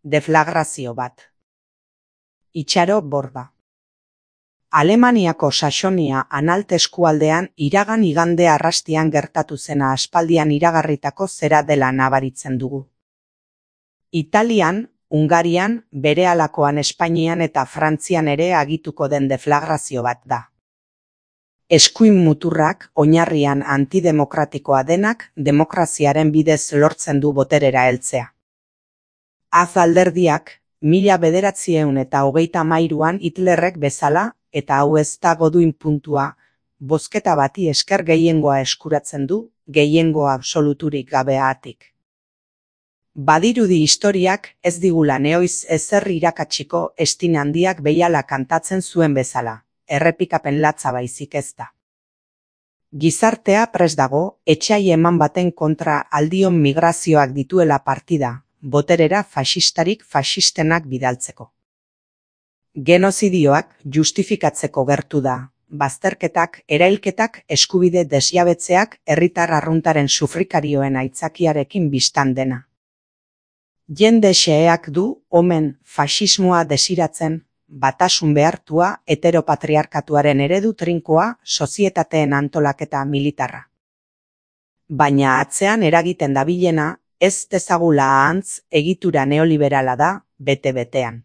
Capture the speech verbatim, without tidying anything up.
deflagrazio bat. Itxaro borda. Alemaniako Saxonia-Anhalt eskualdean iragan igande arrastian gertatu zena aspaldian iragarritako zera dela nabaritzen dugu. Italian, Hungarian, berehalakoan Espainian eta Frantzian ere agituko den deflagrazio bat da. Eskuin muturrak oinarrian antidemokratikoa denak demokraziaren bidez lortzen du boterera heltzea. Az alderdiak, mila bederatziehun eta hogeita hamairuan Hitlerrek bezala, eta hau ez da goduin puntua, bozketa bati esker gehiengoa eskuratzen du, gehiengo absoluturik gabeatik. Badirudi historiak ez digula neoiz ezer irakatsiko Estin handiak behiala kantatzen zuen bezala, errepikapen latza baizik ez da. Gizartea prest dago, etsai eman baten kontra aldion migrazioak dituela partida, boterera faxistarik faxistenak bidaltzeko. Genozidioak justifikatzeko gertu da, bazterketak, erailketak, eskubide desjabetzeak herritar arruntaren sufrikarioen aitzakiarekin bistan dena. Jende xeheak du, omen, faxismoa desiratzen, batasun behartua, heteropatriarkatuaren eredu trinkoa, sozietateen antolaketa militarra. Baina atzean eragiten dabilena, ez dezagula ahantz, egitura neoliberala da, bete-betean.